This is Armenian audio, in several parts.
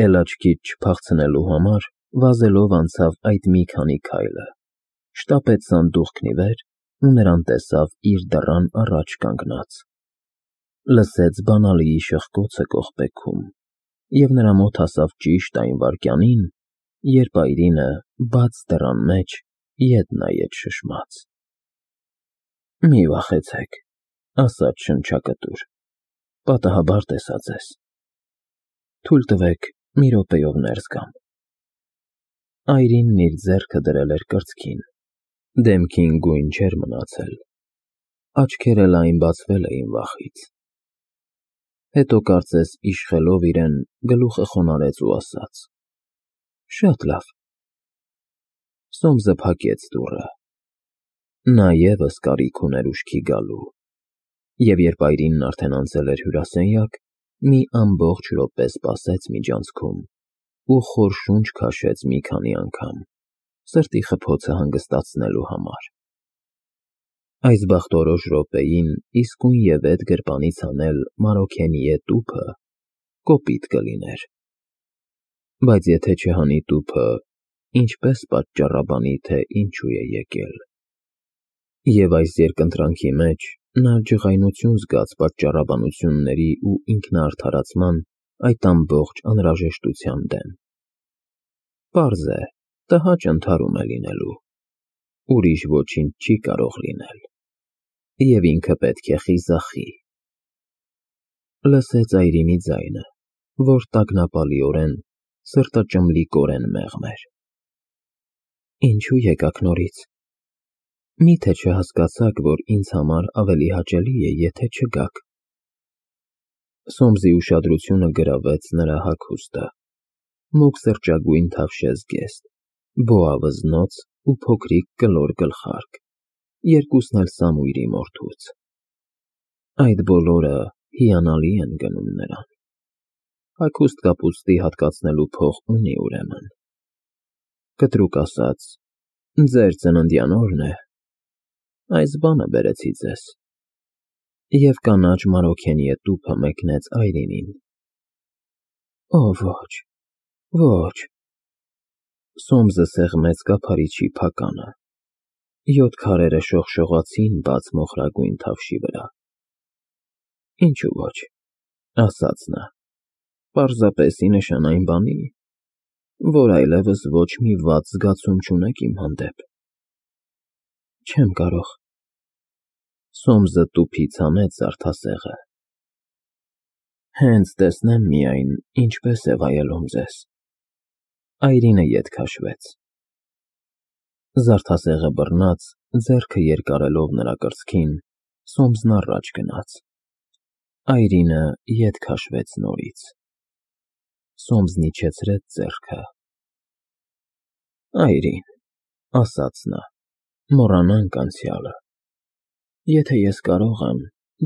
Էլ աչքից չփախցնելու համար վազելով անցավ այդ մի քանի քայլը, շտապեց սանդուղքն ի վեր ու նրան տեսավ իր դռան առաջ կանգնած, լսեց բանալիի շխկոցը կողպեքում և նրա մոտ հասավ ճիշտ այն վայրկյանին, երբ այրինը բաց դռան մեջ ետ նայեց շշմած։ «Մի վախեցեք», ասաց շնչակտուր, «պատահաբար տեսա ձեզ։ Թույլ տվեք մի րոպեով ներս գամ»։ Այրինն իր ձեռքը դրել էր կրծքին, դեմքին գույն չէր մնացել, աչքերը լայն բացվել էին վախից։ Հետո կարծես իշխելով իրեն գլուխը խոնարհեց ու ասաց. «Շատ լավ»։ Սոմսը փակեց դուռը։ Նա ևս կարիք ուներ ուշքի գալու, և երբ Այրինն արդեն անցել էր հյուրասենյակ, մի ամբողջ րոպե սպասեց միջանցքում ու խոր շունչ քաշեց մի քանի անգամ, սրտի խփոցը հանգստացնելու համար։ Այս բախտորոշ րոպեին իսկույնևեթ գրպանից հանել Մարոքենիե տուփը կոպիտ կլիներ, բայց եթե չհանի տուփը, ինչպես պատճառաբանի, թե ինչու է եկել։ Եվ այս երկընտրանքի մեջ նա ջղայնություն զգաց պատճառաբանությունների ու ինքնաարդարացման այդ ամբողջ անհրաժեշտության դեմ։ Պարզ է, տհաճ ընդհարում է լինելու, ուրիշ ոչինչ չի կարող լինել, և ինքը պետք է խիզախի։ Լսեց Այրինի ձայնը, որ տագնապալիորեն, սրտաճմլիկորեն մեղմ էր։ «Ինչու եկաք նորից։ Մի՞թե չհասկացաք, որ ինձ համար ավելի հաճելի է, եթե չգաք»։ Սոմսի ուշադրությունը գրավեց նրա հագուստը, մուգ սրճագույն թավշեզգեստ, բոա վզնոց ու փոքրիկ կլոր գլխարկ, երկուսն էլ Սամուիլի մորթուց։ Այդ բոլորը հիանալի են գնում նրան։ Հագուստ կապուստի հատկացնելու փող ունի ուրեմն։ Կտրուկ ասած, ձեր ծննդյան օրն է, այս բանը բերեցի ձեզ։ Եվ կանաչ Մարոքենիե տուփը մեկնեց Այրինին։ Օ, ոչ, ոչ։ Սոմսը սեղմեց կափարիչի փականը։ 7 քարերը շողշողացին բաց մոխրագույն թավշի վրա։ Ինչու ոչ, ասաց նա, պարզապես ի նշան այն բանի, որ այլևս ոչ մի վատ զգացում չունեք իմ հանդեպ։ Չեմ կարող։ Սոմսը տուփից հանեց զարդասեղը։ Հենց տեսնեմ միայն, ինչպես է վայելում ձեզ։ Այրինը ետ քաշվեց։ Զարդասեղը բռնած, ձեռքը երկարելով նրա կրծքին, Սոմսն առաջ գնաց։ Այրինը ետ քաշվեց նորից։ Սոմսն իջեցրեց ձեռքը։ Այրին, ասաց նա, մոռանանք անցյալը։ Եթե ես կարող եմ,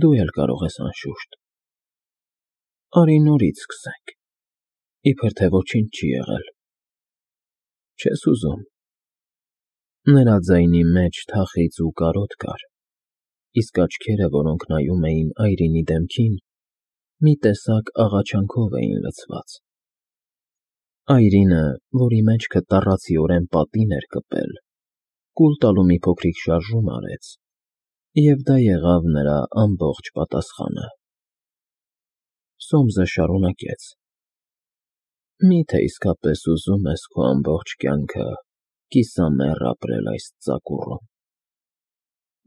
դու էլ կարող ես անշուշտ։ Արի նորից սկսենք, իբր թե ոչինչ չի եղել։ Չես ուզում։ Նրա ձայնի մեջ թախիծ ու կարոտ կար, իսկ աչքերը, որոնք նայում էին Այրինի դեմքին, մի տեսակ աղաչանքով էին լցված։ Այրինը, որի մեջքը տառացիորեն պատին էր կպել, կուլ տալու մի փոքրիկ շարժում արեց, և դա եղավ նրա ամբողջ պատասխանը։ Սոմսը շարունակեց. Մի՞թե իսկապես ուզում ես քո ամբողջ կյանքը կիսամեռ ապրել այս ծակուռում։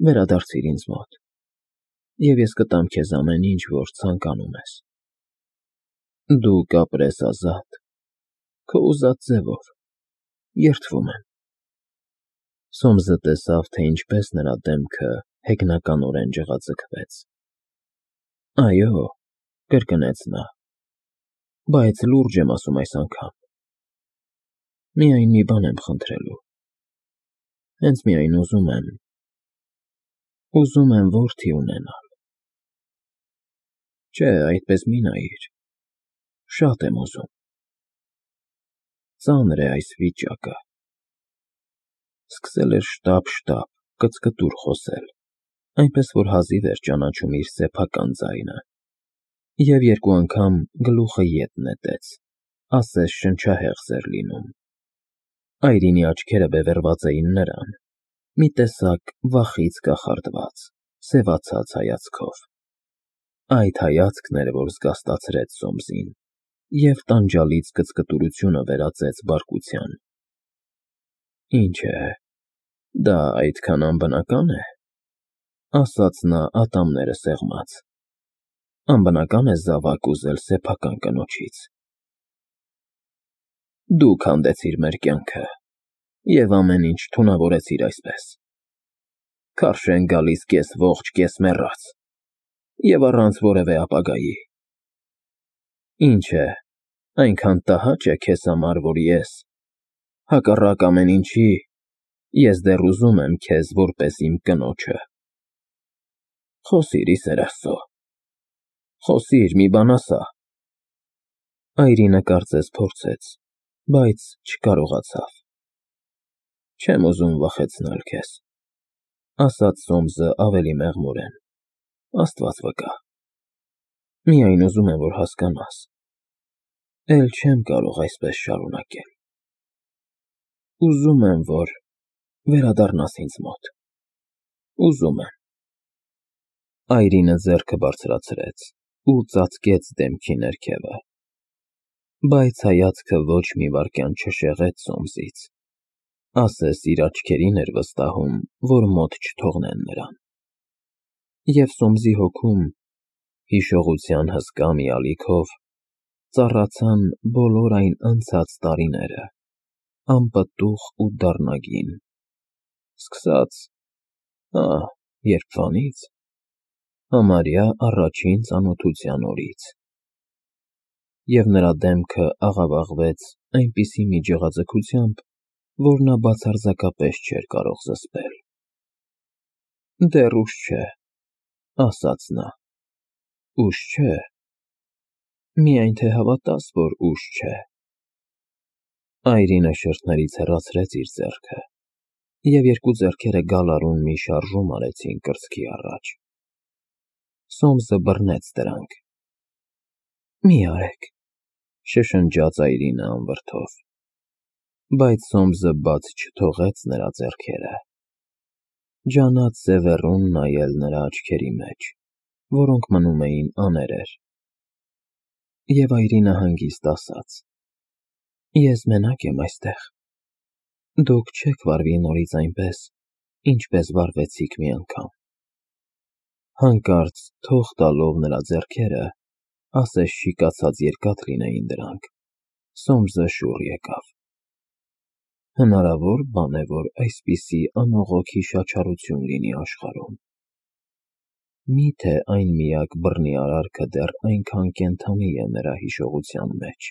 Վերադարձիր ինձ մոտ, և ես կտամ քեզ ամեն ինչ, որ ցանկանում ես։ Դու կապրես ազատ, քո ուզած ձևով, երդվում եմ։ Սոմսը տեսավ, թե ինչպես նրա դեմքը հեգնականորեն ջղաձգվեց։ Այո, կրկնեց նա, բայց լուրջ եմ ասում այս անգամ։ Միայն մի բան եմ խնդրելու։ Հենց միայն ուզում եմ որդի ունենալ։ Չէ, այդպես մի նայիր, շատ եմ ուզում։ Ծանր է այս վիճակը։ Սկսել էր շտապ, կծկտուր խոսել, այնպես որ հազիվ էր ճանաչում իր սեփական ձայնը, և 2 անգամ գլուխը ետ նետեց, ասես շնչահեղձ էր լինում։ Այրինի աչքերը բևեռված էին նրան, մի տեսակ վախից կախարդված, սևացած հայացքով։ Այդ հայացքն էր, որ զգաստացրեց Սոմսին և տանջալից կծկտուրությունը վերածեց բարկության։ Ինչ է, դա այդքան անբնական է, ասաց նա ատամները սեղմած, անբնական է զավակ ուզել սեփական կնոջից։ Դու քանդեցիր մեր կյանքը և ամեն ինչ թունավորեցիր այսպես, քարշ են գալիս կես ողջ, կես մեռած, և առանց որևէ ապագայի։ Ինչ է, այնքան տհաճ է քեզ համար, որ ես, հակառակ ամեն ինչի, ես դեռ ուզում եմ քեզ որպես իմ կնոջը։ Խոսիր, ի սեր Աստծո, խոսիր, մի բան ասա։ Այրինը կարծես փորձեց, բայց չկարողացավ։ Չեմ ուզում վախեցնել քեզ, ասաց Սոմսը ավելի մեղմորեն, Աստված վկա։ Միայն ուզում եմ, որ հասկանաս, էլ չեմ կարող այսպես շարունակել։ Ուզում եմ, որ վերադառնաս ինձ մոտ, ուզում եմ։ Այրինը ձեռքը բարձրացրեց ու ծածկեց դեմքի ներքևը, բայց հայացքը ոչ մի վայրկյան չշեղեց Սոմսից, ասես իր աչքերին էր վստահում, որ մոտ չթողնեն նրան։ Եվ Սոմսի հոգում, հիշողության հսկա մի ալիքով, ծառացան բոլոր այն անցած տարիները, անպտուղ ու դառնագին, սկսած, երբվանից, համարյա առաջին ծանոթության օրից։ Եվ նրա դեմքը աղավաղվեց այնպիսի մի ջղաձգությամբ, որ նա բացարձակապես չէր կարող զսպել։ Դեռ ուշ չէ, ասաց նա, ուշ չէ, միայն թե հավատաս, որ ուշ չէ։ Այրինը շրթներից հեռացրեց իր ձեռքը, և երկու ձեռքերը գալարուն մի շարժում արեցին կրծքի առաջ։ Սոմսը բռնեց դրանք։ Մի արեք, շշնջաց Այրինը անվրդով, բայց Սոմսը բաց չթողեց նրա ձեռքերը։ Ջանաց սևեռուն նայել նրա աչքերի մեջ, որոնք մնում էին աներեր։ Եվ Այրինը հանգիստ ասաց. Ես մենակ եմ այստեղ, դուք չեք վարվի նորից այնպես, ինչպես վարվեցիք մի անգամ։ Հանկարծ թող տալով նրա ձեռքերը, ասես շիկացած երկաթ լինեին դրանք, Սոմսը շուռ եկավ։ Հնարավոր բան է, որ այսպիսի անողոք հիշաչարություն լինի աշխարհում։ Միթե այն միակ բռնի արարքը դեռ այնքան կենդանի է նրա հիշողության մեջ։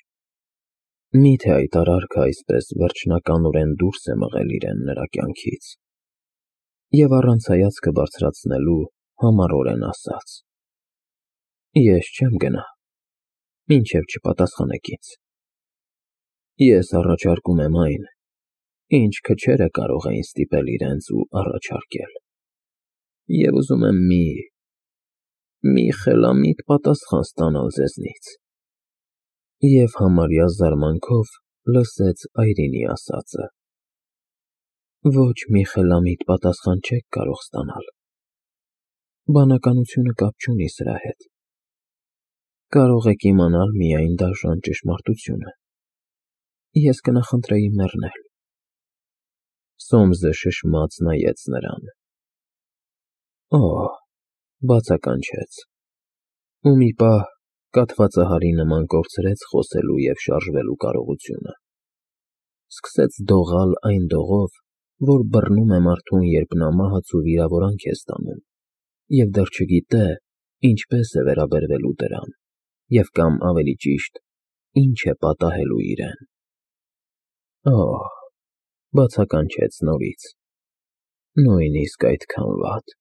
Միթե այդ արարքը այսպես վերջնականորեն դուրս է մղել իրեն նրա կյանքից։ Եվ առանց հայացքը բարձրացնելու համառորեն ասաց. Ես չեմ գնա, մինչև չպատասխանեք ինձ։ Ես առաջարկում եմ այն, ինչ քչերը կարող էին ստիպել իրենց ու առաջարկել։ Եվ ուզում եմ մի խելամիտ պատասխան ստանալ ձեզնից։ Եվ համարյա զարմանքով լսեց Այրինի ասածը. Ոչ մի խելամիտ պատասխան չեք կարող ստանալ։ Բանականությունը կապ չունի սրա հետ։ Կարող եք իմանալ միայն դաժան ճշմարտությունը։ Ես կնախընտրեի մեռնել։ Սոմսը շշմած նայեց նրան։ Բացականչեց։ Ու մի պահ կաթվածահարի նման կորցրեց խոսելու և շարժվելու կարողությունը։ Սկսեց դողալ այն դողով, որ բռնում է մարդուն, երբ նա մահացու վիրավորանք է ստանում, և դեռ չգիտե ինչպես է վերաբերվելու դրան, և կամ ավելի ճիշտ, ինչ է պատահելու իրեն։ Բացականչեց նորից, նույնիսկ այդքան վատ։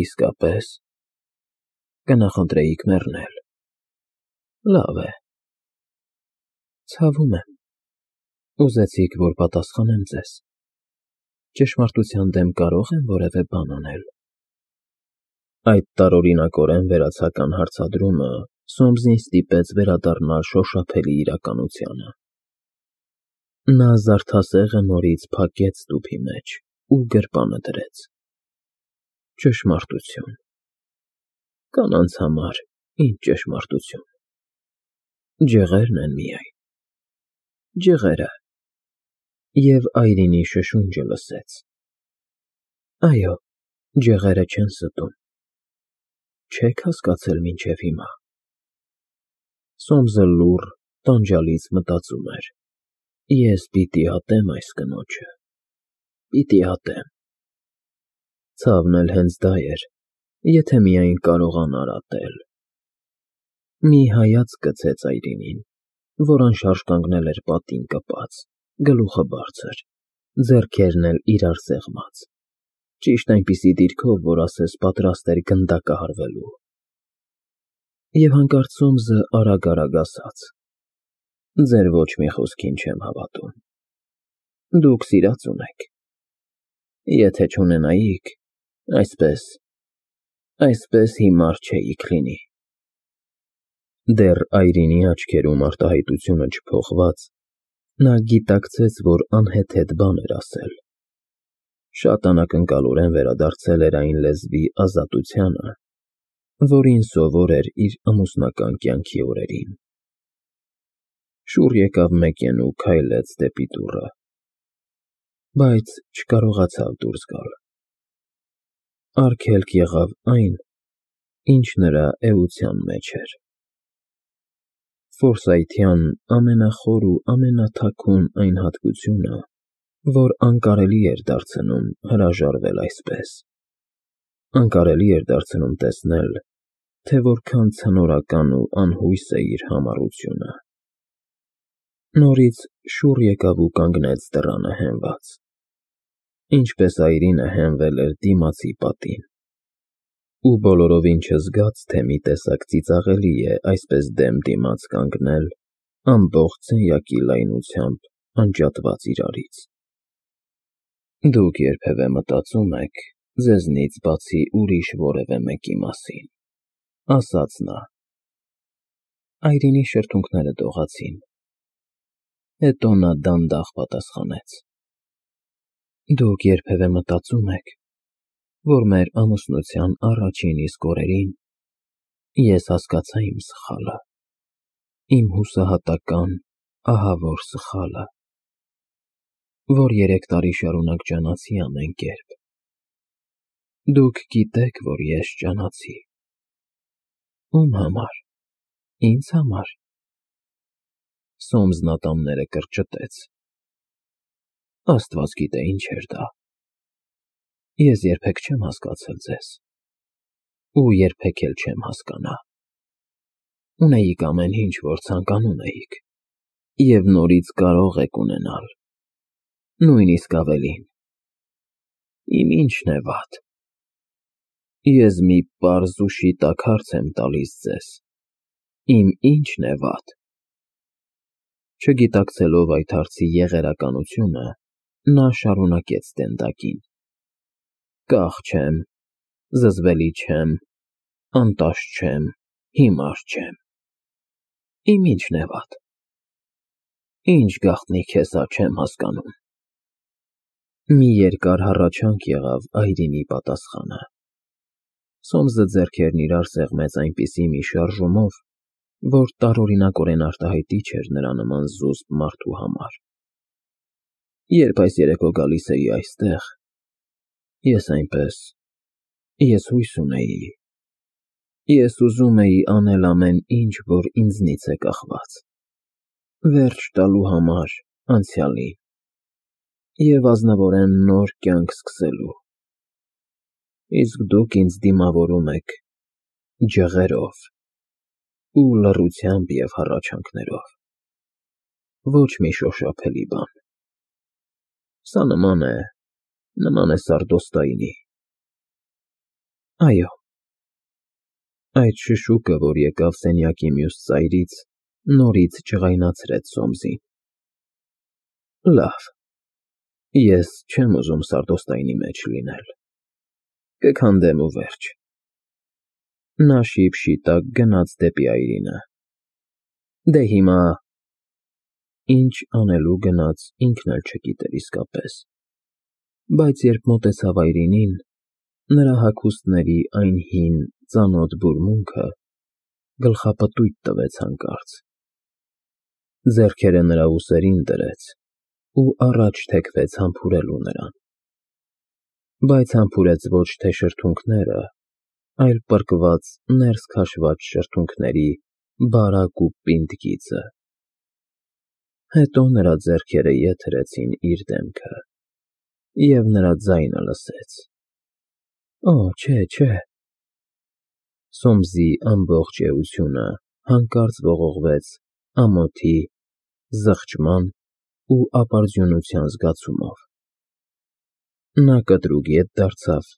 Իսկապես, կնախընտրեիք մեռնել։ Լավ է։ Ցավում եմ, ուզեցիք, որ պատասխանեմ ձեզ։ Ճշմարտության դեմ կարող եմ որևէ բան անել։ Այդ տարօրինակորեն վերացական հարցադրումը Սոմսին ստիպեց վերադառնալ շոշափելի իրականությանը։ Նա զարդասեղը նորից փակեց տուփի մեջ ու գրպանը դրեց։ Ճշմարտություն։ Կանանց համար ինչ ճշմարտություն։ Ջղերն են միայն։ Ջղերը։ Եվ Այրինի շշունջը լսեց։ Այո, ջղերը չեն ստում։ Չեք հասկացել մինչև հիմա։ Սոմսը լուռ, տանջալից մտածում էր. Ես պիտի ատեմ այս կնոջը, պիտի ատեմ։ Ցավն էլ հենց դա էր, եթե միայն կարողանար ատել։ Մի հայացք գցեց Այրինին, որ անշարժ կանգնել էր պատին կպած, գլուխը բարձր, ձեռքերն էլ իրար սեղմած, ճիշտ այնպիսի դիրքով, որ ասես պատրաստ էր գնդակը հարվելու։ Եվ հանկարծ Սոմսը արագ ասաց. Ձեր ոչ մի խոսքին չեմ հավատում։ Դուք սիրած ունեք։ Եթե չունենայիք, այսպես հիմար չէիք լինի։ Դեռ Այրինի աչքերում արտահայտությունը չփոխված, նա գիտակցեց, որ անհեթեթ բան էր ասել։ Շատ անակնկալորեն վերադարձել էր այն լեզվի ազատությանը, որին սովոր էր իր ամուսնական կյանքի օրերին։ Շուռ եկավ Մեկեն ու քայլեց դեպի դուռը, բայց չկարողացավ դուրս գալ։ Արգելք եղավ այն, ինչ նրա էության մեջ էր։ Ֆորսայթյան ամենախոր ու ամենաթաքուն այն հատկությունը, որ անկարելի էր դարձնում հրաժարվել այսպես։ Անկարելի էր դարձնում տեսնել, թե որքան ցնորական ու անհույս է իր համառությունը։ Նորից շուռ եկավ ու կանգնեց դռանը հենված, ինչպես Այրինը հենվել էր դիմացի պատին, ու բոլորովին չզգաց, թե մի տեսակ ծիծաղելի է այսպես դեմ դիմաց կանգնել ամբողջ սենյակի լայնությամբ անջատված իրարից։ Դուք երբևէ մտածում եք ձեզնից բացի ուրիշ որևէ մեկի մասին, ասաց նա։ Այրինի շրթունքները դողացին։ Հետո նա դանդաղ պատասխանեց. Դուք երբևէ մտածում եք, որ մեր ամուսնության առաջին իսկ օրերին ես հասկացա իմ սխալը, իմ հուսահատական, ահավոր սխալը, որ 3 տարի շարունակ ջանացի ամեն կերպ։ Դուք գիտեք, որ ես ջանացի։ Ում համար։ Ինձ համար։ Սոմսն ատամները կրճտեց։ Աստված գիտե ինչ էր դա։ Ես երբեք չեմ հասկացել ձեզ, ու երբեք էլ չեմ հասկանա։ Ունեիք ամեն ինչ, որ ցանկանում էիք, և նորից կարող եք ունենալ, նույնիսկ ավելին։ Իմ ինչն է վատ։ Ես մի պարզ ու շիտակ հարց եմ տալիս ձեզ. Իմ ինչն է վատ։ Չգիտակցելով այդ հարցի եղերականությունը, նա շարունակեց տենդակին. Կախ չեմ, զզվելի չեմ, անտաշ չեմ, հիմար չեմ։ Իմ ինչն է վատ։ Ինչ գաղտնիք է սա, չեմ հասկանում։ Մի երկար հառաչանք եղավ Այրինի պատասխանը։ Սոմսը ձեռքերն իրար սեղմեց այնպիսի մի շարժումով, որ տարօրինակորեն արտահայտիչ էր նրա նման զուսպ մարդու համար։ Երբ այս երեկո գալիս էի այստեղ, ես հույս ունեի։ Ես ուզում էի անել ամեն ինչ, որ ինձնից է կախված, վերջ տալու համար անցյալին և ազնվորեն նոր կյանք սկսելու։ Իսկ դուք ինձ դիմավորում եք ջղերով ու լռությամբ և հառաչանքներով։ Ոչ մի շոշափելի բան։ Սա նման է Սարդոստայնի։ Այո։ Այդ շշուկը, որ եկավ սենյակի մյուս ծայրից, նորից ջղայնացրեց Սոմսին։ Լավ, ես չեմ ուզում Սարդոստայնի մեջ լինել։ Կքանդեմ ու վերջ։ Նա շիպ-շիտակ գնաց դեպի այրինը։ Դե հիմա… Ինչ անելու գնաց ինքն էլ չգիտեր իսկապես, բայց երբ մոտեցավ այրինին, նրա հագուստների այն հին, ծանոթ բուրմունքը գլխապտույտ տվեց հանկարծ։ Ձեռքերը նրա ուսերին դրեց ու առաջ թեքվեց համբուրելու նրան։ Բայց համբուրեց ոչ թե շրթունքները, այլ պրկված ներս քաշված շրթունքների բարակ ու պինդ գիծը։ Հետո նրա ձեռքերը եթերեցին իր դեմքը, և նրա ձայնը լսեց. Օ, չէ… Սոմսի ամբողջ էությունը հանկարծ ողողվեց ամոթի, զղջման ու ապարդյունության զգացումով։ Նա կտրուկ ետ դարձավ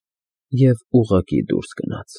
և ուղղակի դուրս գնաց։